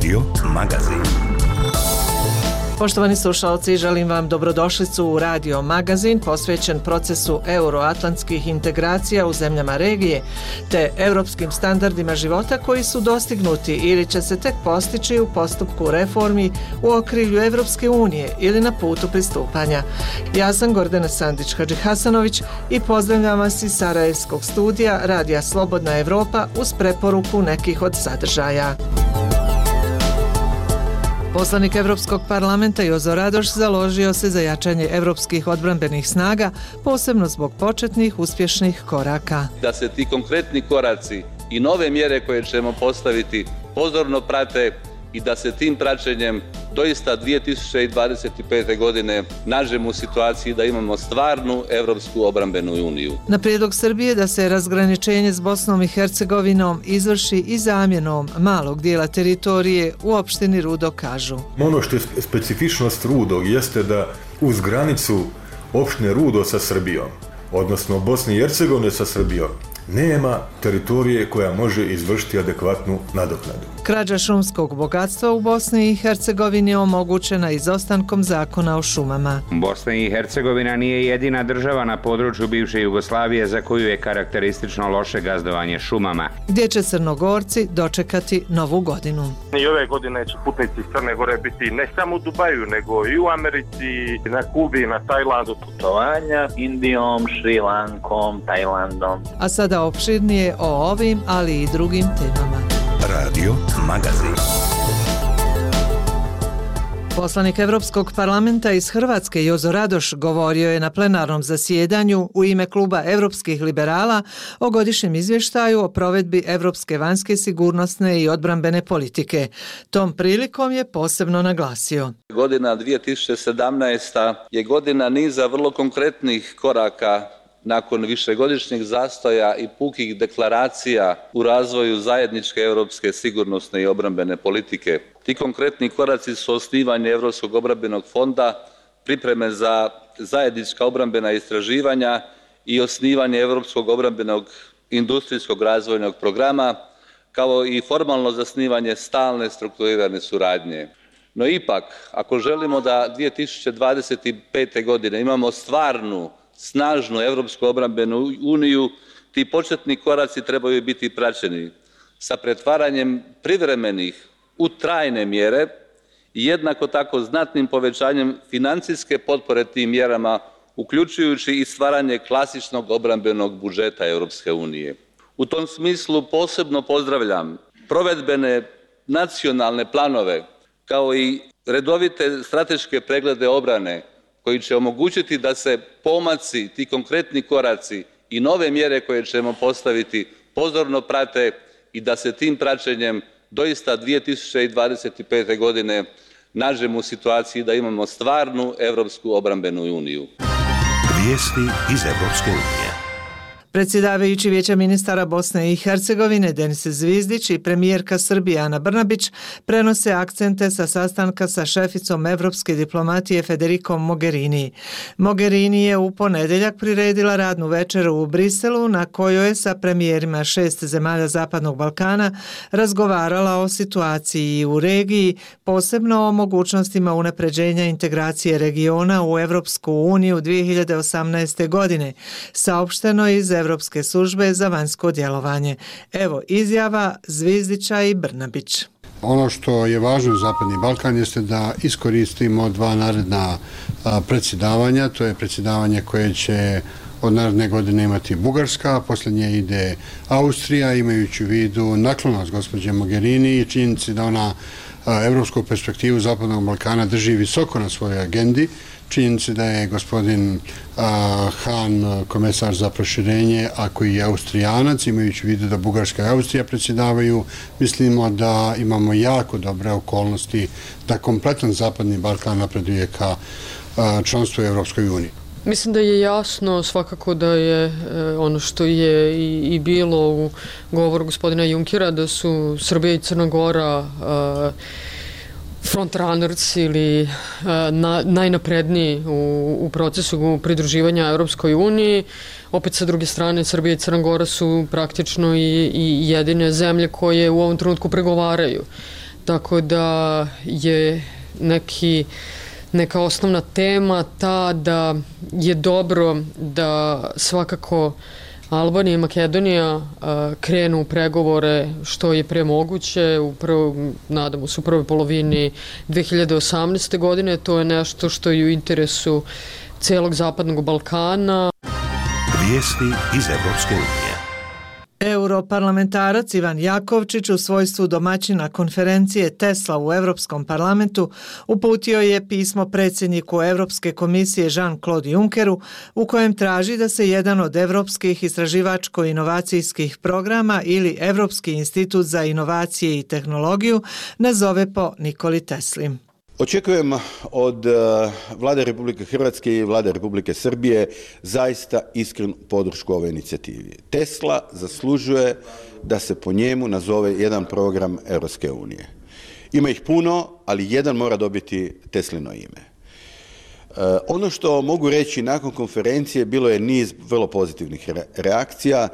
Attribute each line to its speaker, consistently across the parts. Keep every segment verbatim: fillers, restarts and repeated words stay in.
Speaker 1: Radio Magazin.
Speaker 2: Poštovani slušalci, želim vam dobrodošlicu u Radio Magazin posvećen procesu euroatlantskih integracija u zemljama regije te europskim standardima života koji su dostignuti ili će se tek postići u postupku reformi u okrilju Evropske unije ili na putu pristupanja. Ja sam Gordana Sandić-Hadžihasanović i pozdravljam vas iz Sarajevskog studija Radija Slobodna Evropa uz preporuku nekih od sadržaja. Poslanik Evropskog parlamenta Jozo Radoš založio se za jačanje evropskih odbrambenih snaga, posebno zbog početnih uspješnih koraka.
Speaker 3: Da se ti konkretni koraci i nove mjere koje ćemo postaviti pozorno prate i da se tim praćenjem doista dvije tisuće dvadeset pete. godine nađemo u situaciji da imamo stvarnu Evropsku obrambenu uniju.
Speaker 2: Na prijedlog Srbije da se razgraničenje s Bosnom i Hercegovinom izvrši i zamjenom malog dijela teritorije u opštini Rudo kažu.
Speaker 4: Ono što je specifičnost Rudo jeste da uz granicu opštine Rudo sa Srbijom, odnosno Bosne i Hercegovine sa Srbijom, nema teritorije koja može izvršiti adekvatnu nadoknadu.
Speaker 2: Krađa šumskog bogatstva u Bosni i Hercegovini je omogućena izostankom zakona o šumama.
Speaker 5: Bosna i Hercegovina nije jedina država na području bivše Jugoslavije za koju je karakteristično loše gazdovanje šumama.
Speaker 2: Gdje će Crnogorci dočekati novu godinu.
Speaker 6: I ove godine će putnici iz Crne Gore biti ne samo u Dubaju, nego i u Americi, na Kubi, na Tajlandu.
Speaker 7: Putovanja Indijom, Šri Lankom, Tajlandom.
Speaker 2: A sada opširnije o ovim, ali i drugim temama.
Speaker 1: Radio Magazin.
Speaker 2: Poslanik Evropskog parlamenta iz Hrvatske Jozo Radoš govorio je na plenarnom zasjedanju u ime kluba Evropskih liberala o godišnjem izvještaju o provedbi evropske vanjske sigurnosne i odbrambene politike. Tom prilikom je posebno naglasio.
Speaker 3: Godina dvije tisuće sedamnaesta. je godina niza vrlo konkretnih koraka nakon višegodišnjeg zastoja i pukih deklaracija u razvoju zajedničke europske sigurnosne i obrambene politike. Ti konkretni koraci su osnivanje Europskog obrambenog fonda, pripreme za zajednička obrambena istraživanja i osnivanje Europskog obrambenog industrijskog razvojnog programa, kao i formalno zasnivanje stalne strukturirane suradnje. No ipak, ako želimo da dvije tisuće dvadeset pete. godine imamo stvarnu snažnu Evropsku obrambenu uniju, ti početni koraci trebaju biti praćeni sa pretvaranjem privremenih u trajne mjere i jednako tako znatnim povećanjem financijske potpore tim mjerama, uključujući i stvaranje klasičnog obrambenog budžeta Europske unije. U tom smislu posebno pozdravljam provedbene nacionalne planove kao i redovite strateške preglede obrane koji će omogućiti da se pomaci, ti konkretni koraci i nove mjere koje ćemo postaviti pozorno prate i da se tim praćenjem doista dvije tisuće dvadeset pete. godine nađemo u situaciji da imamo stvarnu Evropsku obrambenu uniju.
Speaker 1: Vijesti iz Evropske unije.
Speaker 2: Predsjedavajući Vijeća ministara Bosne i Hercegovine Denis Zvizdić i premijerka Srbije Ana Brnabić prenose akcente sa sastanka sa šeficom evropske diplomatije Federikom Mogherini. Mogherini je u ponedjeljak priredila radnu večeru u Briselu na kojoj je sa premijerima šest zemalja Zapadnog Balkana razgovarala o situaciji u regiji, posebno o mogućnostima unapređenja integracije regiona u Evropsku uniju dvije hiljade osamnaeste. godine, saopšteno iz Evropske službe za vanjsko djelovanje. Evo izjava Zvizdića i Brnabić.
Speaker 8: Ono što je važno za Zapadni Balkan jeste da iskoristimo dva naredna predsjedavanja. To je predsjedavanje koje će od naredne godine imati Bugarska, posljednje ide Austrija, imajući u vidu naklonost gospođe Mogherini i činjenici da ona evropsku perspektivu Zapadnog Balkana drži visoko na svojoj agendi. Činjenici da je gospodin Han komesar za proširenje, a koji je Austrijanac, imajući u vidu da Bugarska i Austrija predsjedavaju, mislimo da imamo jako dobre okolnosti da kompletan Zapadni Balkan napreduje ka članstvu u Evropskoj uniji.
Speaker 9: Mislim da je jasno svakako da je ono što je i bilo u govoru gospodina Junkera, da su Srbija i Crna Gora frontrunners ili na, najnapredniji u, u procesu pridruživanja Europskoj uniji. Opet sa druge strane Srbija i Crna Gora su praktično i, i jedine zemlje koje u ovom trenutku pregovaraju. tako da je neki, neka osnovna tema ta da je dobro da svakako Albanija i Makedonija krenu u pregovore što je pre moguće, u prvom, nadamo se u prvoj polovini dve hiljade osamnaeste. godine. To je nešto što je u interesu celog Zapadnog Balkana.
Speaker 1: Vijesti iz Evropske unije.
Speaker 2: Europarlamentarac Ivan Jakovčić u svojstvu domaćina konferencije Tesla u Europskom parlamentu uputio je pismo predsjedniku Europske komisije Jean-Claude Junckeru u kojem traži da se jedan od evropskih istraživačko-inovacijskih programa ili Europski institut za inovacije i tehnologiju nazove po Nikoli Tesli.
Speaker 10: Očekujem od Vlade Republike Hrvatske i Vlade Republike Srbije zaista iskrenu podršku ovoj inicijativi. Tesla zaslužuje da se po njemu nazove jedan program Europske unije. Ima ih puno, ali jedan mora dobiti Teslino ime. Ono što mogu reći nakon konferencije bilo je niz vrlo pozitivnih reakcija.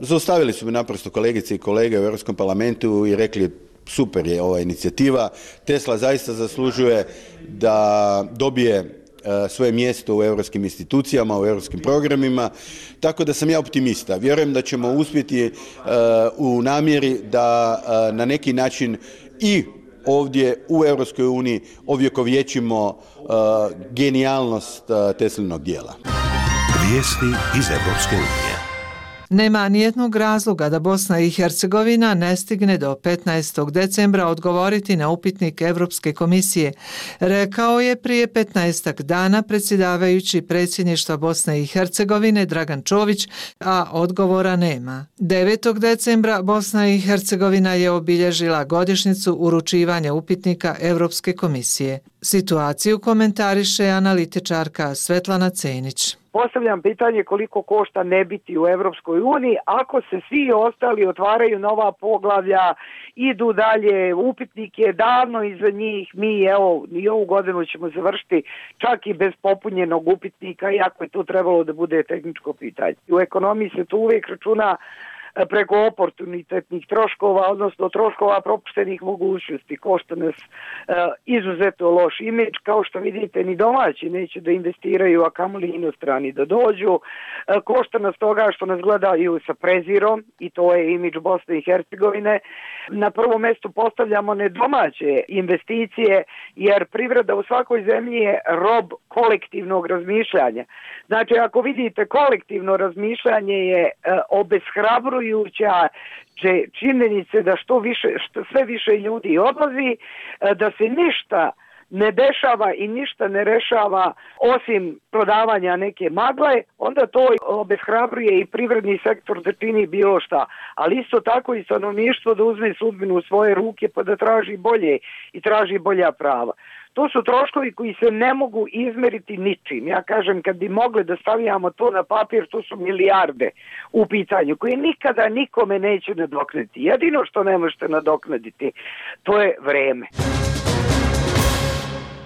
Speaker 10: Zaustavili su me naprosto kolegice i kolege u Europskom parlamentu i rekli super je ova inicijativa. Tesla zaista zaslužuje da dobije svoje mjesto u europskim institucijama, u europskim programima, tako da sam ja optimista. Vjerujem da ćemo uspjeti u namjeri da na neki način i ovdje u Europskoj uniji ovjekovječimo genijalnost Teslinog dijela.
Speaker 1: Vijesti iz Evropske unije.
Speaker 2: Nema nijednog razloga da Bosna i Hercegovina ne stigne do petnaestog decembra odgovoriti na upitnik Europske komisije, rekao je prije petnaestak dana predsjedavajući predsjedništva Bosne i Hercegovine Dragan Čović, a odgovora nema. devetog decembra Bosna i Hercegovina je obilježila godišnjicu uručivanja upitnika Europske komisije. Situaciju komentariše analitičarka Svetlana Cenić.
Speaker 11: Postavljam pitanje koliko košta ne biti u Evropskoj uniji ako se svi ostali otvaraju nova poglavlja, idu dalje, upitnik je davno iza njih, mi evo i ovu godinu ćemo završiti čak i bez popunjenog upitnika, iako je to trebalo da bude tehničko pitanje. U ekonomiji se to uvijek računa preko oportunitetnih troškova, odnosno troškova propuštenih mogućnosti. Košta nas e, izuzetno loš imidž, kao što vidite ni domaći neće da investiraju, a kamoli inostrani da dođu. E, košta nas toga što nas gledaju sa prezirom i to je imidž Bosne i Hercegovine. Na prvom mjestu postavljamo nedomaće investicije jer privreda u svakoj zemlji je rob kolektivnog razmišljanja. Znači ako vidite kolektivno razmišljanje je e, obeshrabrujuće činjenice da što više, što sve više ljudi odlazi, da se ništa ne dešava i ništa ne rešava osim prodavanja neke magle, onda to obeshrabruje i privredni sektor da čini bilo šta. Ali isto tako i stanovništvo da uzme sudbinu u svoje ruke pa da traži bolje i traži bolja prava. To su troškovi koji se ne mogu izmeriti ničim. Ja kažem, kad bi mogli da stavljamo to na papir, to su milijarde u pitanju, koje nikada nikome neće nadoknaditi. Jedino što ne možete nadoknaditi, to je vreme.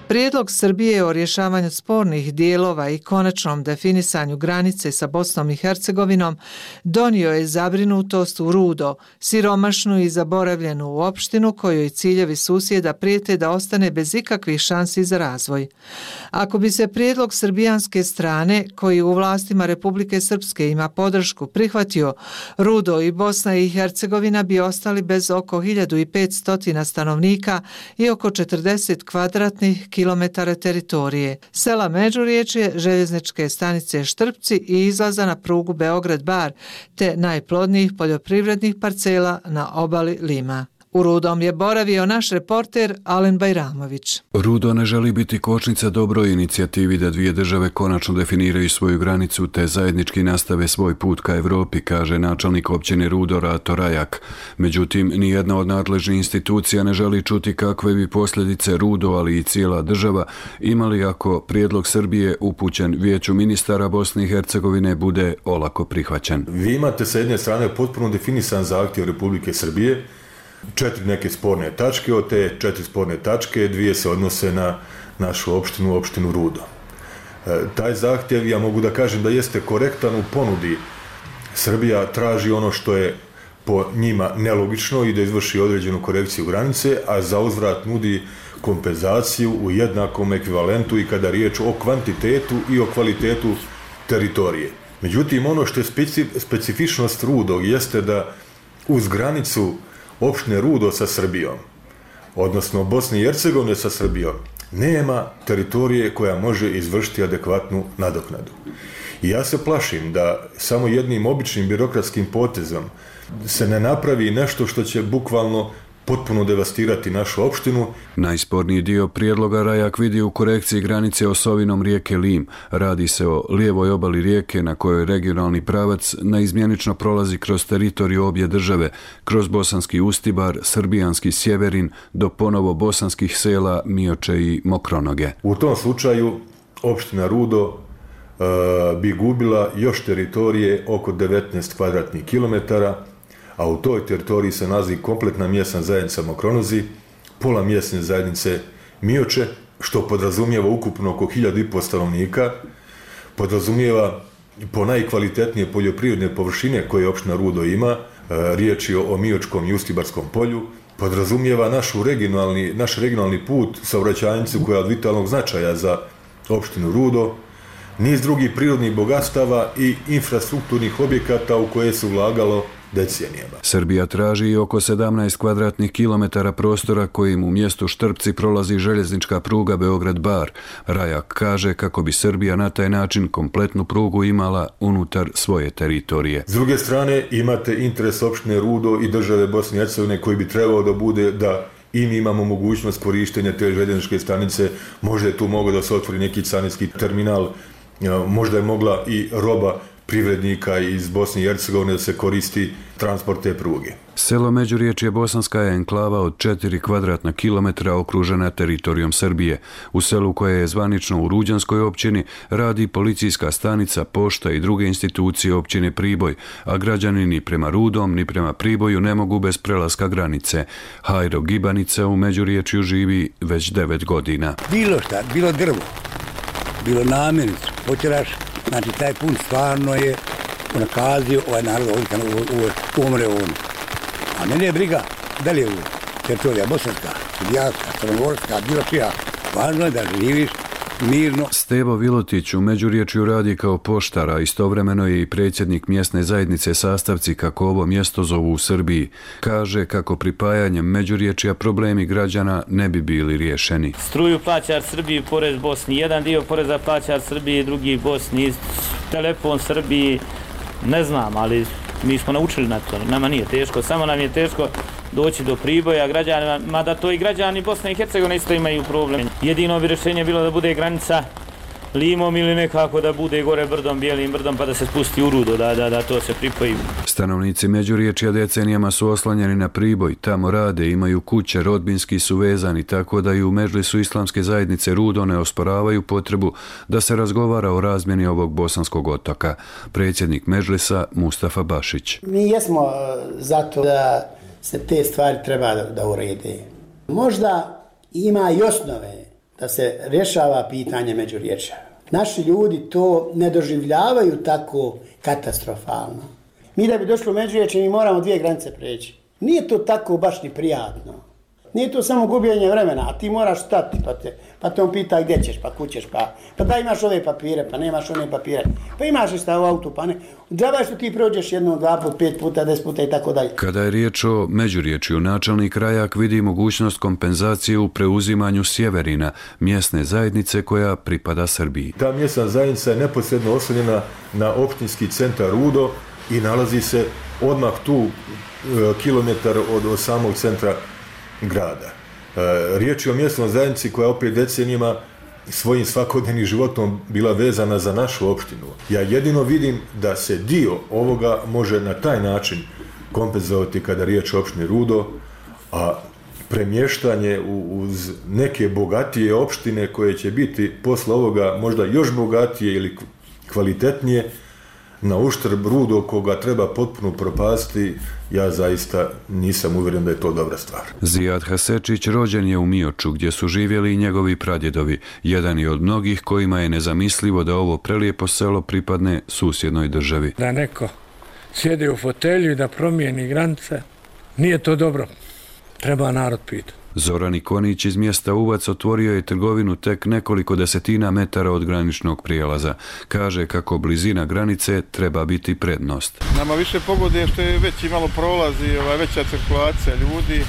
Speaker 2: Prijedlog Srbije o rješavanju spornih dijelova i konačnom definisanju granice sa Bosnom i Hercegovinom donio je zabrinutost u Rudo, siromašnu i zaboravljenu opštinu kojoj ciljevi susjeda prijete da ostane bez ikakvih šansi za razvoj. Ako bi se prijedlog srbijanske strane, koji u vlastima Republike Srpske ima podršku, prihvatio, Rudo i Bosna i Hercegovina bi ostali bez oko hiljadu petsto stanovnika i oko četrdeset kvadratnih kilometara teritorije, sela Međurječje, željezničke stanice Štrpci i izlaza na prugu Beograd-Bar, te najplodnijih poljoprivrednih parcela na obali Lima. U Rudom je boravio naš reporter Alen Bajramović.
Speaker 12: Rudo ne želi biti kočnica dobroj inicijativi da dvije države konačno definiraju svoju granicu te zajednički nastave svoj put ka Evropi, kaže načelnik općine Rudo Rato Rajak. Međutim, nijedna od nadležnih institucija ne želi čuti kakve bi posljedice Rudo, ali i cijela država imali ako prijedlog Srbije upućen Vijeću ministara Bosne i Hercegovine bude olako prihvaćen.
Speaker 4: Vi imate sa jedne strane potpuno definisan zahtjev Republike Srbije, četiri neke sporne tačke, od te četiri sporne tačke dvije se odnose na našu opštinu, opštinu Rudo. E, taj zahtjev, ja mogu da kažem da jeste korektan u ponudi. Srbija traži ono što je po njima nelogično i da izvrši određenu korekciju granice, a za uzvrat nudi kompenzaciju u jednakom ekvivalentu i kada riječ o kvantitetu i o kvalitetu teritorije. Međutim, ono što je specifičnost Rudo jeste da uz granicu opštine Rudo sa Srbijom, odnosno Bosne i Hercegovine sa Srbijom, nema teritorije koja može izvršiti adekvatnu nadoknadu. I ja se plašim da samo jednim običnim birokratskim potezom se ne napravi nešto što će bukvalno potpuno devastirati našu opštinu.
Speaker 12: Najsporniji dio prijedloga Rajak vidi u korekciji granice osovinom rijeke Lim. Radi se o lijevoj obali rijeke na kojoj regionalni pravac neizmjenično prolazi kroz teritoriju obje države, kroz bosanski Ustibar, srbijanski Sjeverin, do ponovo bosanskih sela Mioče i Mokronoge.
Speaker 4: U tom slučaju opština Rudo e, bi gubila još teritorije oko devetnaest kvadratnih kilometara, a u toj teritoriji se nalazi kompletna mjesna zajednica Mokronozi, pola mjesne zajednice Mioče, što podrazumijeva ukupno oko hiljadu i po stanovnika, podrazumijeva po najkvalitetnije poljoprivredne površine koje opština Rudo ima, riječ je o Miočkom i Ustibarskom polju, podrazumijeva našu regionalni, naš regionalni put, saobraćajnicu koja je od vitalnog značaja za opštinu Rudo, niz drugih prirodnih bogatstava i infrastrukturnih objekata u koje se ulagalo decenijama.
Speaker 12: Srbija traži i oko sedamnaest kvadratnih kilometara prostora kojim u mjestu Štrpci prolazi željeznička pruga Beograd-Bar. Rajak kaže kako bi Srbija na taj način kompletnu prugu imala unutar svoje teritorije.
Speaker 4: S druge strane imate interes opštine Rudo i države Bosne i Hercegovine koji bi trebao da bude da i mi imamo mogućnost korištenja te željezničke stanice, možda je tu mogao da se otvori neki carinski terminal, možda je mogla i roba privrednika iz Bosne i Hercegovine da se koristi transport te pruge.
Speaker 12: Selo Međuriječje Bosanska je enklava od četiri kvadratna kilometra okružena teritorijom Srbije. U selu koje je zvanično u Ruđanskoj općini radi policijska stanica, pošta i druge institucije općine Priboj, a građani ni prema Rudom ni prema Priboju ne mogu bez prelaska granice. Hajro Gibanica u Međuriječju živi već devet godina.
Speaker 13: Bilo šta, bilo drvo, bilo namirnicu, počeraš. Znači, taj pun stvarno je unakazio ovaj narod ovdje umre on. A mene je briga da li je u teritorija bosanska, srbijanska, crnogorska, bilo čija. Važno je da živiš mirno.
Speaker 12: Stevo Vilotić u Međuriječju radi kao poštar, a istovremeno je i predsjednik mjesne zajednice Sastavci, kako ovo mjesto zovu u Srbiji. Kaže kako pripajanjem Međuriječja problemi građana ne bi bili riješeni.
Speaker 14: Struju plaća Srbiji, porez Bosni, jedan dio poreza plaća Srbiji, drugi Bosni, telefon Srbiji, ne znam, ali mi smo naučili na to, nama nije teško, samo nam je teško doći do Priboja građanima, mada to i građani Bosne i Hercegovine isto imaju problem. Jedino bi rješenje bilo da bude granica Limom ili nekako da bude gore brdom, bijelim brdom, pa da se spusti u Rudo, da, da, da to se pripoji.
Speaker 12: Stanovnici Međuriječja decenijama su oslanjeni na Priboj, tamo rade, imaju kuće, rodbinski su vezani, tako da i u Medžlisu islamske zajednice Rudo ne osporavaju potrebu da se razgovara o razmjeni ovog bosanskog otoka. Predsjednik Medžlisa Mustafa Bašić.
Speaker 15: Mi jesmo zato da se te stvari treba da, da urede. Možda ima i osnove da se rješava pitanje Međuriječja. Naši ljudi to ne doživljavaju tako katastrofalno. Mi da bi došli u Međuriječje, mi moramo dvije granice preći. Nije to tako baš ni prijatno. Nije to samo gubljenje vremena, a ti moraš stati, pa te, pa te on pita gdje ćeš, pa kućeš, pa, pa da imaš ove papire, pa nemaš one papire, pa imaš li šta u autu, pa ne. Džaba što ti prođeš jednom, dva put, pet puta, deset puta i tako dalje.
Speaker 12: Kada je riječ o Međuriječju, načelnik Rajak vidi mogućnost kompenzacije u preuzimanju Sjeverina, mjesne zajednice koja pripada Srbiji.
Speaker 4: Ta mjesna zajednica je neposredno oslonjena na opštinski centar Rudo i nalazi se odmah tu kilometar od, od samog centra grada. E, riječ je o mjesnoj zajednici koja opet decenijima svojim svakodnevnim životom bila vezana za našu opštinu. Ja jedino vidim da se dio ovoga može na taj način kompenzovati kada riječ o opštini Rudo, a premještanje uz neke bogatije opštine koje će biti posle ovoga možda još bogatije ili kvalitetnije, na uštrb Rudo koga treba potpuno propasti, ja zaista nisam uvjeren da je to dobra stvar.
Speaker 12: Zijad Hasečić rođen je u Mioču, gdje su živjeli i njegovi pradjedovi. Jedan je od mnogih kojima je nezamislivo da ovo prelijepo selo pripadne susjednoj državi.
Speaker 16: Da neko sjede u fotelju i da promijeni granice. Nije to dobro. Treba narod pitati.
Speaker 12: Zoran Ikonić iz mjesta Uvac otvorio je trgovinu tek nekoliko desetina metara od graničnog prijelaza. Kaže kako blizina granice treba biti prednost.
Speaker 17: Nama više pogoduje što je veći malo prolazi, ova veća cirkulacija ljudi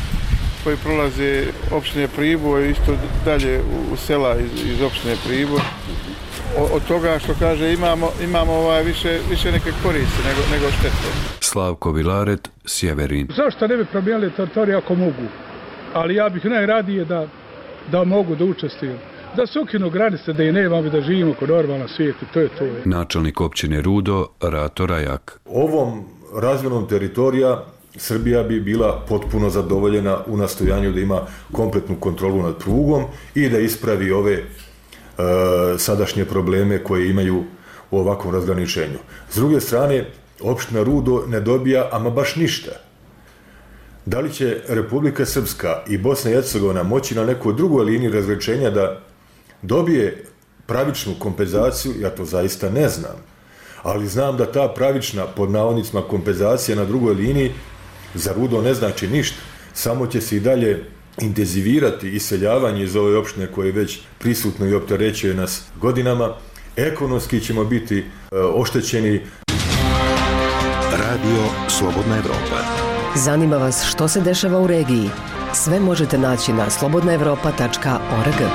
Speaker 17: koji prolaze opštine Priboj, isto dalje u sela iz, iz opštine Priboj. Od toga što kaže imamo, imamo ovaj više, više neke koristi nego, nego štete.
Speaker 12: Slavko Vilaret, Sjeverin.
Speaker 18: Zašto ne bi promijenili teritoriju ako mogu? Ali ja bih najradije da, da mogu da učestvujem. Da se ukinu granice, da i nemamo da živimo kod normalna svijeta, to je to.
Speaker 12: Načelnik općine Rudo, Rato Rajak.
Speaker 4: Ovom razmjenom teritorija Srbija bi bila potpuno zadovoljena u nastojanju da ima kompletnu kontrolu nad prugom i da ispravi ove e, sadašnje probleme koje imaju u ovakvom razgraničenju. S druge strane, opština Rudo ne dobija ama baš ništa. Da li će Republika Srpska i Bosna i Hercegovina moći na nekoj drugoj liniji razgraničenja da dobije pravičnu kompenzaciju, ja to zaista ne znam. Ali znam da ta pravična, pod navodnicima, kompenzacija na drugoj liniji za Rudo ne znači ništa. Samo će se i dalje intenzivirati iseljavanje iz ove opštine koje je već prisutno i opterećuje nas godinama. Ekonomski ćemo biti e, oštećeni.
Speaker 1: Radio Slobodna Evropa.
Speaker 19: Zanima vas što se dešava u regiji? Sve možete naći na slobodna evropa tačka org.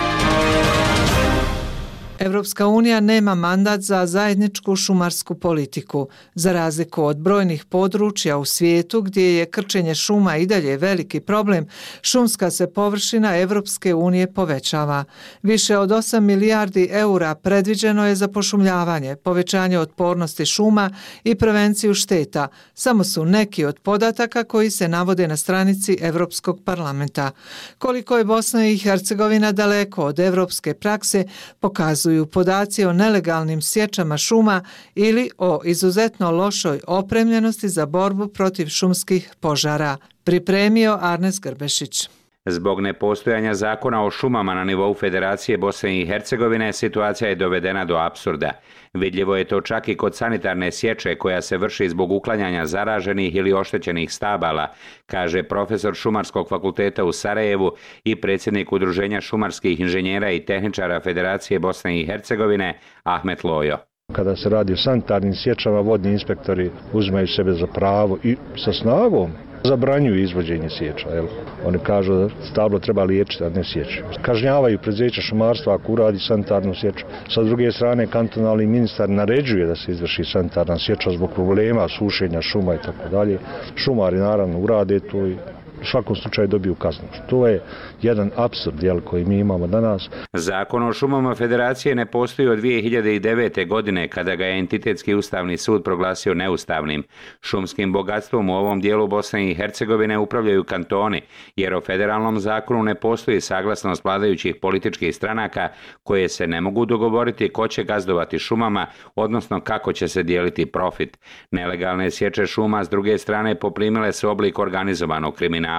Speaker 2: Evropska unija nema mandat za zajedničku šumarsku politiku. Za razliku od brojnih područja u svijetu gdje je krčenje šuma i dalje veliki problem, šumska se površina Evropske unije povećava. Više od osam milijardi eura predviđeno je za pošumljavanje, povećanje otpornosti šuma i prevenciju šteta. Samo su neki od podataka koji se navode na stranici Evropskog parlamenta. Koliko je Bosna i Hercegovina daleko od evropske prakse, pokazuju podaci o nelegalnim sječama šuma ili o izuzetno lošoj opremljenosti za borbu protiv šumskih požara. Pripremio Arnes Grbešić.
Speaker 5: Zbog nepostojanja zakona o šumama na nivou Federacije Bosne i Hercegovine, situacija je dovedena do apsurda. Vidljivo je to čak i kod sanitarne sječe koja se vrši zbog uklanjanja zaraženih ili oštećenih stabala, kaže profesor Šumarskog fakulteta u Sarajevu i predsjednik Udruženja šumarskih inženjera i tehničara Federacije Bosne i Hercegovine, Ahmet Lojo.
Speaker 20: Kada se radi o sanitarnim sječama, vodni inspektori uzimaju sebe za pravo i sa snagom zabranjuju izvođenje sječa. Jel? Oni kažu da stablo treba liječiti, a ne sjeći. Kažnjavaju preduzeća šumarstva ako uradi sanitarnu sječu. Sa druge strane, kantonalni ministar naređuje da se izvrši sanitarna sječa zbog problema sušenja šuma i tako dalje. Šumari naravno urade to i u svakom slučaju dobiju kaznu. To je jedan apsurd jel, koji mi imamo danas.
Speaker 5: Zakon o šumama Federacije ne postoji od dvije hiljade devete. godine kada ga je Entitetski ustavni sud proglasio neustavnim. Šumskim bogatstvom u ovom dijelu Bosne i Hercegovine upravljaju kantoni, jer o federalnom zakonu ne postoji saglasnost vladajućih političkih stranaka koje se ne mogu dogovoriti ko će gazdovati šumama, odnosno kako će se dijeliti profit. Nelegalne sječe šuma s druge strane poprimile su oblik organizovanog kriminala.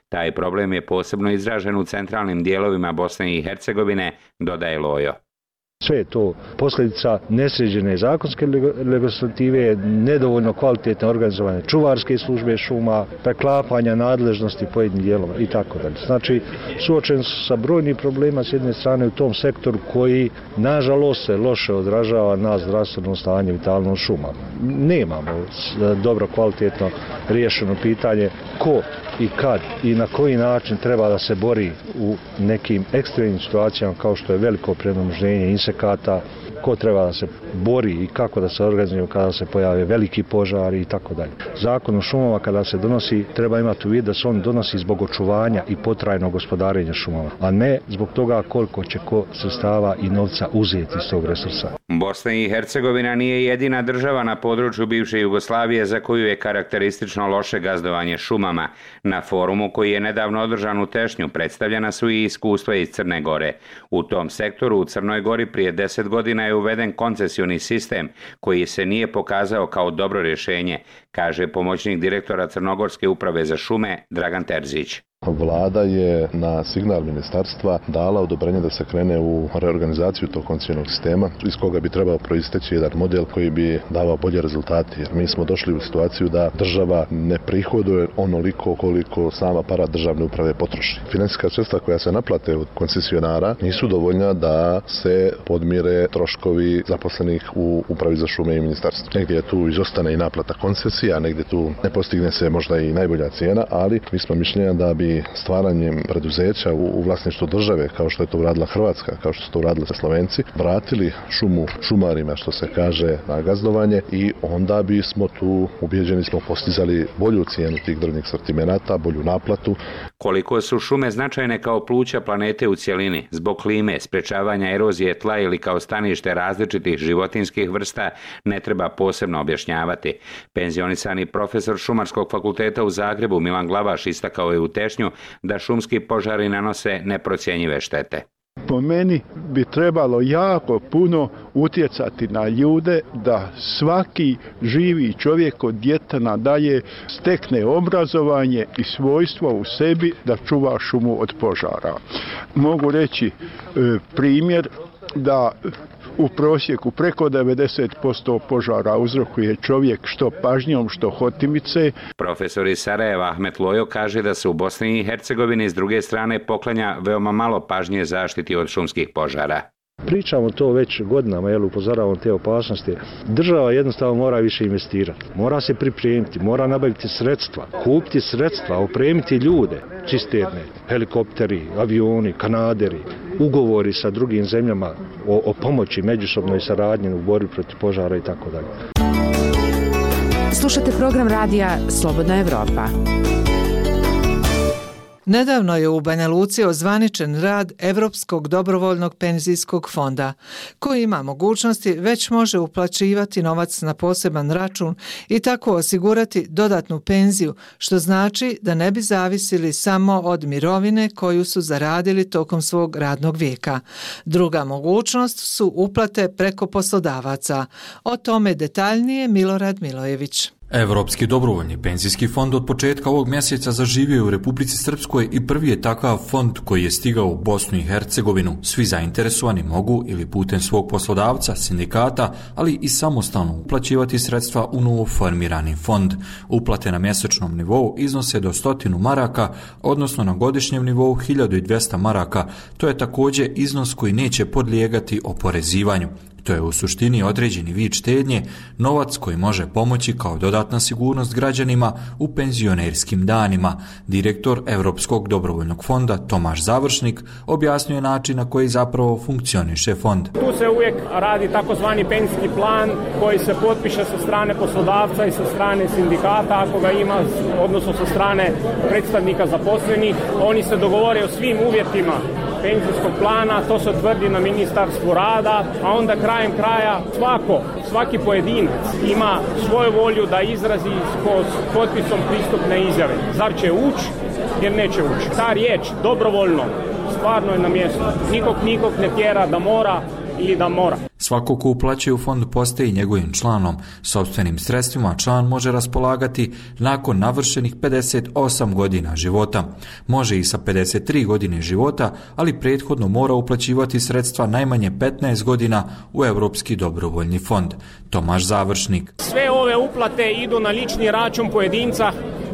Speaker 5: Taj problem je posebno izražen u centralnim dijelovima Bosne i Hercegovine, dodaje Lojo.
Speaker 20: Sve je to posljedica nesređene zakonske legislative, nedovoljno kvalitetne organizovane čuvarske službe šuma, preklapanja nadležnosti pojedinih dijelova i tako dalje. Znači, suočen su sa brojnim problema s jedne strane u tom sektoru koji, nažalost, se loše odražava na zdravstveno stanje vitalno šuma. Nemamo dobro kvalitetno riješeno pitanje ko i kad i na koji način treba da se bori u nekim ekstremnim situacijama kao što je veliko premnoženje insekata, ko treba da se bori i kako da se organizuje kada se pojave veliki požari i tako dalje. Zakon o šumama kada se donosi treba imati u vidu da se on donosi zbog očuvanja i potrajnog gospodarenja šumama, a ne zbog toga koliko će ko sredstava i novca uzeti iz tog resursa.
Speaker 5: Bosna i Hercegovina nije jedina država na području bivše Jugoslavije za koju je karakteristično loše gazdovanje šumama. Na forumu koji je nedavno održan u Tešnju predstavljena su i iskustva iz Crne Gore. U tom sektoru u Crnoj Gori prije deset godina je uveden koncesioni sistem koji se nije pokazao kao dobro rješenje, kaže pomoćnik direktora Crnogorske uprave za šume Dragan Terzić.
Speaker 21: Vlada je na signal ministarstva dala odobrenje da se krene u reorganizaciju tog koncesijnog sistema iz koga bi trebao proisteći jedan model koji bi davao bolje rezultate. Jer mi smo došli u situaciju da država ne prihoduje onoliko koliko sama aparat državne uprave potroši. Financijska sredstva koja se naplate od koncesionara nisu dovoljna da se podmire troškovi zaposlenih u upravi za šume i ministarstvu. Negdje tu izostane i naplata koncesija, negdje tu ne postigne se možda i najbolja cijena, ali mi smo mišljenja da bi stvaranjem preduzeća u, u vlasništvu države, kao što je to uradila Hrvatska, kao što su to uradili Slovenci, vratili šumu šumarima, što se kaže, na gazdovanje i onda bismo tu, ubjeđeni smo, postizali bolju cijenu tih drvnih sortimenata, bolju naplatu.
Speaker 5: Koliko su šume značajne kao pluća planete u cjelini, zbog klime, sprečavanja erozije tla ili kao stanište različitih životinskih vrsta, ne treba posebno objašnjavati. Penzionisani profesor Šumarskog fakulteta u Zagrebu Milan Glavaš istakao je u Tešnju da šumski požari nanose neprocjenjive štete.
Speaker 22: Po meni bi trebalo jako puno utjecati na ljude da svaki živi čovjek od djeteta nadalje stekne obrazovanje i svojstvo u sebi da čuva šumu od požara. Mogu reći e, primjer da u prosjeku preko devedeset posto požara uzrokuje čovjek što pažnjom, što hotimice.
Speaker 5: Profesor iz Sarajeva Ahmet Lojo kaže da se u Bosni i Hercegovini s druge strane poklanja veoma malo pažnje zaštiti od šumskih požara.
Speaker 20: Pričamo to već godinama, jel, upozoravamo te opasnosti. Država jednostavno mora više investirati, mora se pripremiti, mora nabaviti sredstva, kupiti sredstva, opremiti ljude, cisterne, helikopteri, avioni, kanaderi, ugovori sa drugim zemljama o, o pomoći međusobnoj saradnji u borbi protiv požara i tako dalje.
Speaker 23: Slušate program radija Slobodna Evropa.
Speaker 2: Nedavno je u Banja Luci ozvaničen rad Evropskog dobrovoljnog penzijskog fonda, koji ima mogućnosti već može uplaćivati novac na poseban račun i tako osigurati dodatnu penziju, što znači da ne bi zavisili samo od mirovine koju su zaradili tokom svog radnog vijeka. Druga mogućnost su uplate preko poslodavaca. O tome detaljnije Milorad Milojević.
Speaker 24: Evropski dobrovoljni penzijski fond od početka ovog mjeseca zaživio je u Republici Srpskoj i prvi je takav fond koji je stigao u Bosnu i Hercegovinu. Svi zainteresovani mogu ili putem svog poslodavca, sindikata, ali i samostalno uplaćivati sredstva u novo formirani fond. Uplate na mjesečnom nivou iznose do stotinu maraka, odnosno na godišnjem nivou hiljadu dvjesto maraka. To je također iznos koji neće podlijegati oporezivanju. To je u suštini određeni vid štednje, novac koji može pomoći kao dodatna sigurnost građanima u penzionerskim danima. Direktor Evropskog dobrovoljnog fonda Tomaš Završnik objasnio način na koji zapravo funkcioniše fond.
Speaker 25: Tu se uvijek radi takozvani penzijski plan koji se potpiše sa strane poslodavca i sa strane sindikata ako ga ima, odnosno sa strane predstavnika zaposlenih. Oni se dogovore o svim uvjetima penzijskog plana, to se tvrdi na Ministarstvu rada, a onda krajem kraja svako, svaki pojedinac ima svoju volju da izrazi s potpisom pristupne izjave. Zar će ući, jer neće ući. Ta riječ, dobrovoljno, stvarno je na mjestu. Nikog nikog ne tjera da mora ili da mora.
Speaker 24: Svako ko uplaćuje u fond postaje njegovim članom. Sopstvenim sredstvima član može raspolagati nakon navršenih pedeset osam godina života. Može i sa pedeset tri godine života, ali prethodno mora uplaćivati sredstva najmanje petnaest godina u Evropski dobrovoljni fond. Tomaš Završnik.
Speaker 25: Sve ove uplate idu na lični račun pojedinca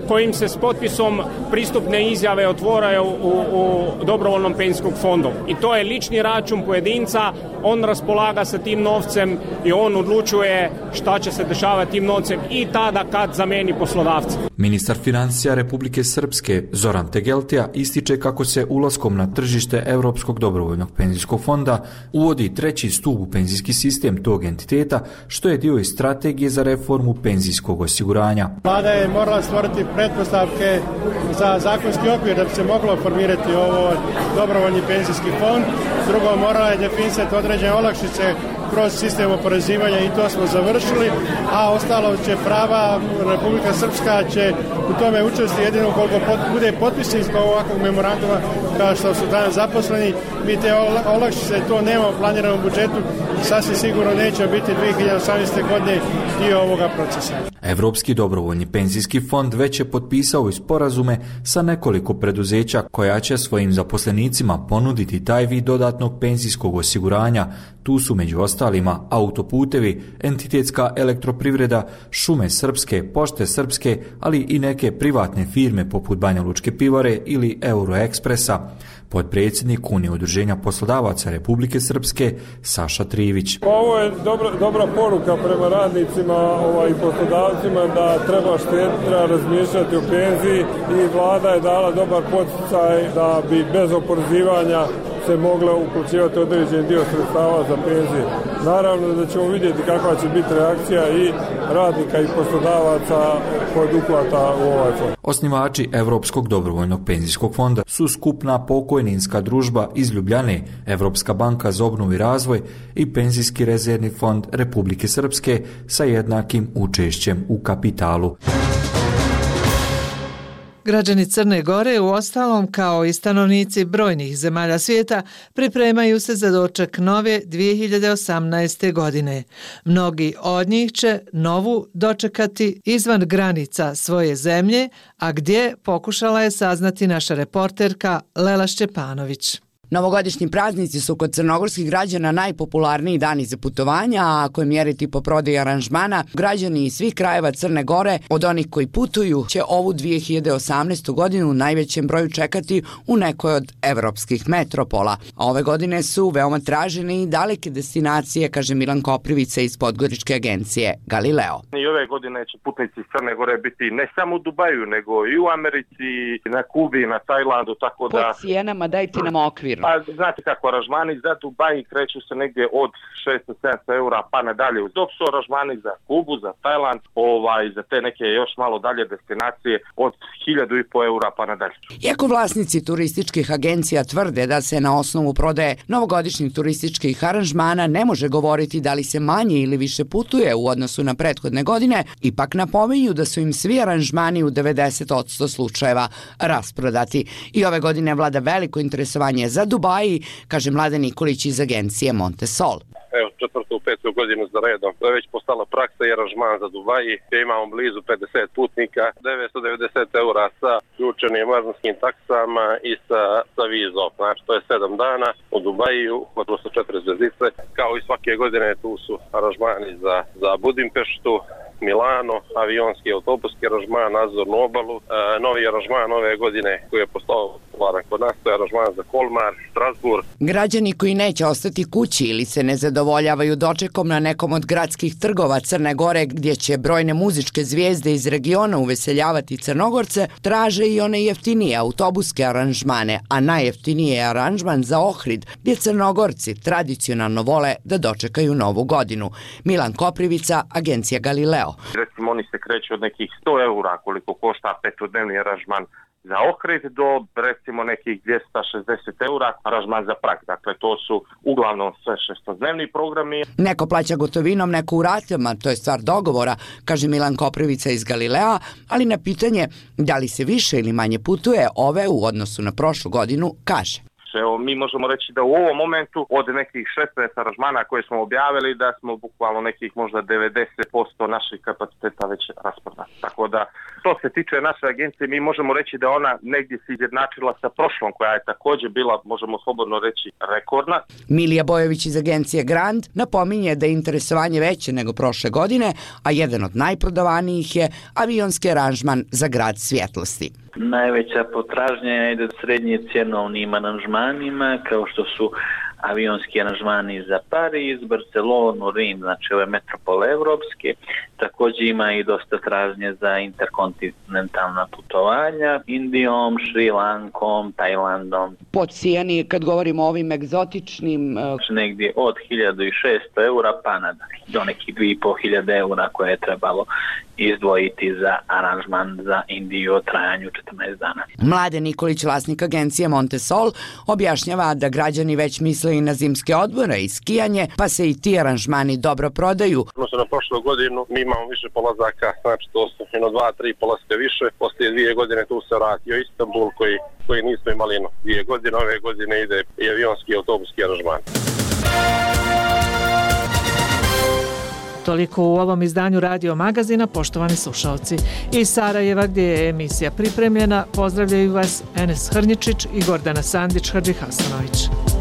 Speaker 25: kojim se s potpisom pristupne izjave otvaraju u, u dobrovoljnom penzijskom fondu. I to je lični račun pojedinca, on raspolaga sa tim novcem i on odlučuje šta će se dešavati tim novcem i tada kad zameni poslodavca.
Speaker 24: Ministar financija Republike Srpske Zoran Tegeltija ističe kako se ulaskom na tržište Evropskog dobrovoljnog penzijskog fonda uvodi treći stup u penzijski sistem tog entiteta, što je dio i strategije za reformu penzijskog osiguranja.
Speaker 26: Vlada je morala stvoriti pretpostavke za zakonski okvir da bi se moglo formirati ovo dobrovoljni penzijski fond. Drugo, morala je definisati određene olakšice kroz sistem oporezivanja i to smo završili, a ostalo će prava, Republika Srpska će u tome učesti jedino koliko pot, bude potpisnik ovakvog memoranduma kao što su danas zaposleni. Mi te olakšice, to nemamo planirano u budžetu, sasvim sigurno neće biti dvije hiljade osamnaeste. godine dio ovoga procesa.
Speaker 24: Evropski dobrovoljni penzijski fond već je potpisao i sporazume sa nekoliko preduzeća koja će svojim zaposlenicima ponuditi taj vid dodatnog penzijskog osiguranja. Tu su među ostalima autoputevi, entitetska elektroprivreda, šume srpske, pošte srpske, ali i neke privatne firme poput Banja Lučke pivare ili Euroekspresa. Potpredsjednik Unije udruženja poslodavaca Republike Srpske Saša Trivić.
Speaker 3: Ovo je dobra, dobra poruka prema radnicima ovaj, i poslodavcima da treba štediti, treba razmišljati o penziji i vlada je dala dobar poticaj da bi bez oporezivanja se mogla uplaćivati određen dio sredstava za penzije. Naravno da ćemo vidjeti kakva će biti reakcija i radnika i poslodavaca kod uplata u ovaj fond.
Speaker 24: Osnivači Evropskog dobrovoljnog penzijskog fonda su skupna pokojninska družba iz Ljubljane, Evropska banka za obnovu i razvoj i Penzijski rezervni fond Republike Srpske sa jednakim učešćem u kapitalu.
Speaker 2: Građani Crne Gore, u ostalom kao i stanovnici brojnih zemalja svijeta, pripremaju se za doček nove dvije hiljade osamnaeste. godine. Mnogi od njih će novu dočekati izvan granica svoje zemlje, a gdje pokušala je saznati naša reporterka Lela Šćepanović.
Speaker 6: Novogodišnji praznici su kod crnogorskih građana najpopularniji dani za putovanja, a ako je mjeriti po prodaji aranžmana, građani iz svih krajeva Crne Gore, od onih koji putuju, će ovu dvije hiljade osamnaestu. godinu u najvećem broju čekati u nekoj od evropskih metropola. A ove godine su veoma tražene i daleke destinacije, kaže Milan Koprivica iz podgoričke agencije Galileo.
Speaker 7: I ove godine će putnici iz Crne Gore biti ne samo u Dubaju, nego i u Americi, na Kubi, na Tajlandu, tako da...
Speaker 6: Po cijenama dajte nam okvir.
Speaker 7: Pa znate kako, aranžmani za Dubai kreću se negdje od šesto do sedamsto eura pa nadalje. Dok su aranžmani za Kubu, za Tajland, ovaj, za te neke još malo dalje destinacije od hiljadu i po eura pa nadalje.
Speaker 6: Iako vlasnici turističkih agencija tvrde da se na osnovu prodaje novogodišnjih turističkih aranžmana ne može govoriti da li se manje ili više putuje u odnosu na prethodne godine, ipak napominju da su im svi aranžmani u devedeset posto slučajeva rasprodati. I ove godine vlada veliko interesovanje za Dubaji, kaže Mladen Nikolić iz agencije Montesol.
Speaker 8: Evo, četvrtu, petu godinu za redom. To je već postala praksa i aranžman za Dubaji, gdje imamo blizu pedeset putnika, devetsto devedeset eura sa ključenim aranžmanskim taksama i sa, sa vizom. Znači, to je sedam dana u Dubaju, gotovo sa četiri zvezdice. Kao i svake godine tu su aranžmani za, za Budimpeštu, Milano, avionski autobuski aranžman, nadzornu obalu. E, novi aranžman ove godine koji je postao popularan kod nas, to je aranžman za Kolmar, Strasbourg.
Speaker 6: Građani koji neće ostati kući ili se ne zadovoljavaju dočekom na nekom od gradskih trgova Crne Gore gdje će brojne muzičke zvijezde iz regiona uveseljavati Crnogorce, traže i one jeftinije autobuske aranžmane, a najjeftinije je aranžman za Ohrid, gdje Crnogorci tradicionalno vole da dočekaju novu godinu. Milan Koprivica, agencija Galileo.
Speaker 7: Recimo oni se kreću od nekih sto eura koliko košta petodnevni aranžman za Ohrid do recimo nekih dvjesto šezdeset eura aranžman za Prag. Dakle, to su uglavnom sve šestodnevni programi.
Speaker 6: Neko plaća gotovinom, neko u ratama, to je stvar dogovora, kaže Milan Koprivica iz Galilea, ali na pitanje da li se više ili manje putuje ove u odnosu na prošlu godinu, kaže.
Speaker 7: Evo, mi možemo reći da u ovom momentu od nekih šesnaest aranžmana koje smo objavili da smo bukvalno nekih možda devedeset posto naših kapaciteta već rasprodali. Tako da, što se tiče naše agencije, mi možemo reći da ona negdje se izjednačila sa prošlom koja je također bila, možemo slobodno reći, rekordna.
Speaker 6: Milija Bojović iz agencije Grand napominje da je interesovanje veće nego prošle godine, a jedan od najprodavanijih je avionski aranžman za grad svjetlosti.
Speaker 9: Najveća potražnja ide srednje cjenovnim aranžmanima, kao što su avionski aranžmani za Pariz, Barcelonu, Rim, znači ove metropole evropske. Također ima i dosta tražnje za interkontinentalna putovanja Indijom, Šri Lankom, Tajlandom.
Speaker 6: Po cijeni, kad govorimo o ovim egzotičnim...
Speaker 9: Znači negdje od hiljadu šesto eura pa nadalje, do nekih dvije i pol hiljade eura koje je trebalo izdvojiti za aranžman za Indiju o trajanju četrnaest dana.
Speaker 6: Mladen Nikolić, vlasnik agencije Montesol, objašnjava da građani već misle i na zimske odmore i skijanje, pa se i ti aranžmani dobro prodaju.
Speaker 8: Odnosno na prošlu godinu mi imamo više polazaka, znači to su jedno dva, tri polaska više. Poslije dvije godine tu se vratio Istanbul koji, koji nismo imali no, dvije godine. Ove godine ide i avionski i autobuski aranžman.
Speaker 2: Toliko u ovom izdanju Radio Magazina, poštovani slušalci. Iz Sarajeva, gdje je emisija pripremljena, pozdravljaju vas Enes Hrnjičić i Gordana Sandić-Hadžihasanović.